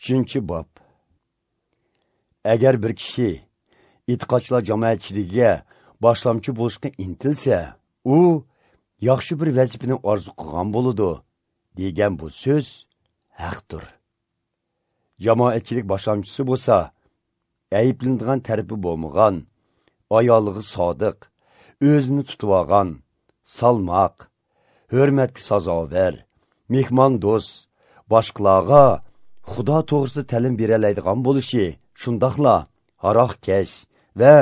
3-bob. Agar bir kishi e'tiqodchilar jamoatchiligiga boshlamchi bo'lishga intilsa, u yaxshi bir vazifani orzu qilgan bo'ladi degan bu so'z haqdir. Jamoatchilik boshlamchisi bo'lsa, ayblanadigan tarafi bo'lmagan, ayollig'i sodiq, o'zini tutib olgan, salmoq, hurmatga sazovor, mehmondo'st, boshqalarga Xudo to'g'risida ta'lim beralaydigan bo'lishi, shundoqla haroqkash va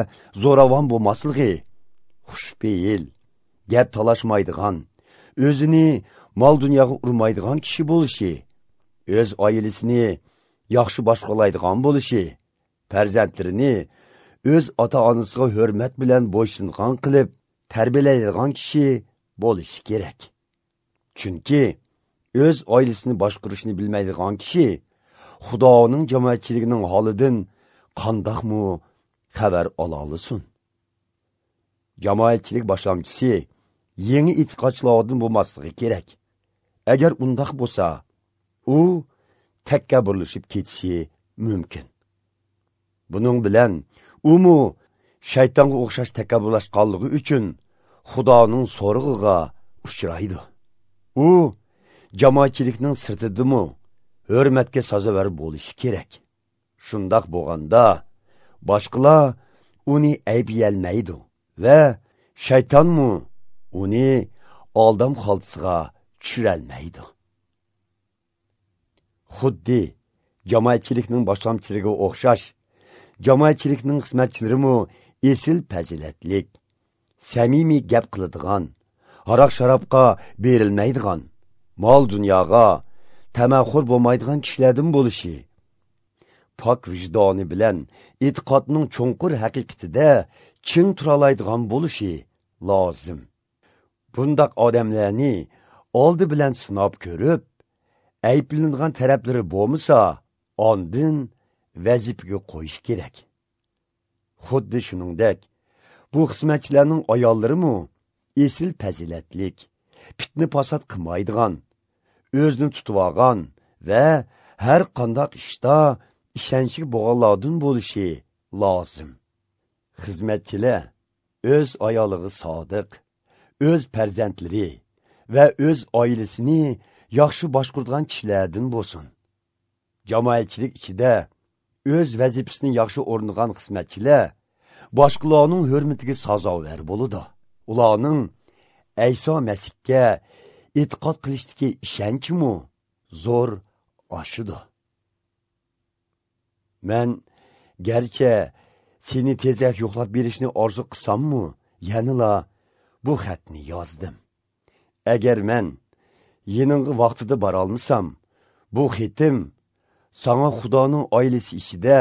zo'ravon bo'lmasligi, xushpeyil, gap talashmaydigan, o'zini mol dunyoga urmaydigan kishi bo'lishi, o'z oilasini yaxshi boshqalaydigan bo'lishi, farzandlarini o'z ota-onasiga hurmat bilan bo'ysungan qilib tarbiyalaydigan kishi bo'lishi kerak. Chunki o'z oilasini boshqarishni bilmaydigan kishi Xudoning jamoatchiligining holidan qandoqmi xabar ola olsin? Jamoatchilik boshlamchisi yangi e'tiqodchilardan bo'lmasligi kerak. Agar undoq bo'lsa, u takabburlashib ketishi mumkin. Buning bilan umu shaytonga o'xshash takabburlashganligi uchun Xudoning so'rig'iga uchraydi. U jamoatchilikning sirtidimi hurmatga sazovor bo'lishi kerak. Shundoq bo'lganda boshqalar uni ayblayolmaydi va shaytonmi uni aldam xoltisiga tushirolmaydi. Xuddi jamoatchilikning boshlamchilariga o'xshash jamoatchilikning xizmatchilarimi esil fazilatlik, samimiy gap qiladigan, aroq sharobga berilmaydigan, mol dunyoga tamaxur bo'lmaydigan kishilardan bo'lishi, pok vijdoni bilan e'tiqodning cho'nqur haqiqatida ching turalaydigan bo'lishi lozim. Bundaq odamlarni oldi bilan sinab ko'rib, ayblanadigan taraflari bo'lmasa, ondin vazifaga qo'yish kerak. Xuddi shuningdek, bu xizmatchilarning ayollarimi esil fazilatlik, fitna fasod qilmaydigan, o'zini tutib olgan va har qanday ishda ishonchli bo'lganlardan bo'lishi lozim. Xizmatchilar o'z ayoliga sodiq, o'z farzandlari va o'z oilasini yaxshi boshqaradigan kishilardan bo'lsin. Jamoatchilik ichida o'z vazifasini yaxshi o'rnagan xizmatchilar boshqalarning hurmatiga sazovor bo'ladi. Ularning Ayso Masihga e'tiqod qilishdagi ishonchimi zo'r oshidi. Men garchi seni tezroq yo'qlab berishni orzu qilsammi, yanala bu xatni yozdim. Agar men yening'i vaqtida borolmasam, bu xatim sana Xudoning oilasi ichida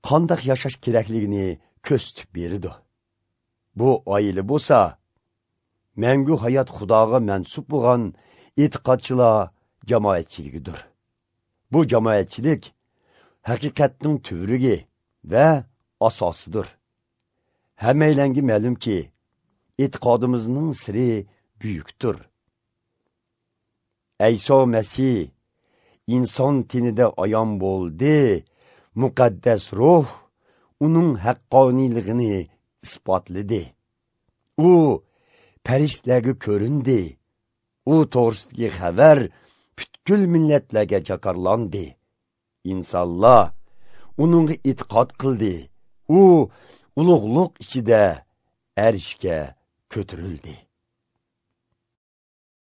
qandoq yashash kerakligini ko'rsatib berdi. Bu oila bo'lsa, mangu hayot Xudoga mansub bo'lgan e'tiqodchilar jamoatchiligidir. Bu jamoatchilik haqiqatning tuvrigi va asosidir. Hammaylanga ma'lumki, e'tiqodimizning siri buyukdir. Ayso Masih inson tenida ayon bo'ldi, muqaddas ruh uning haqqoniyligini isbotladi. U farishtalarga ko'rindi. U to'g'risidagi xabar butkul millatlarga jakarlandi. Insonlar uningga e'tiqod qildi. U ulug'liq ichida arshga ko'tarildi.